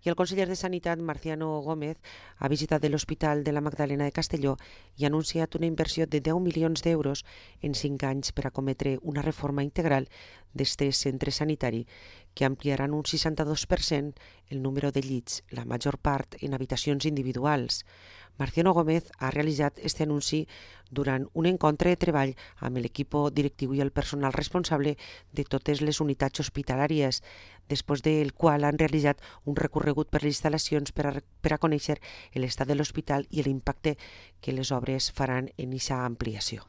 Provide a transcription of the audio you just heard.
I el conseller de Sanitat, Marciano Gómez, ha visitat l'Hospital de la Magdalena de Castelló i ha anunciat una inversió de 10 milions d'euros en 5 anys per a cometre una reforma integral d'este centre sanitari que ampliaran un 62% el número de llits, la major part en habitacions individuals. Marciano Gómez ha realitzat este anunci durant un encontre de treball amb l'equip directiu i el personal responsable de totes les unitats hospitalàries, després del qual han realitzat un recorregut per les instal·lacions per a conèixer l'estat de l'hospital i l'impacte que les obres faran en aquesta ampliació.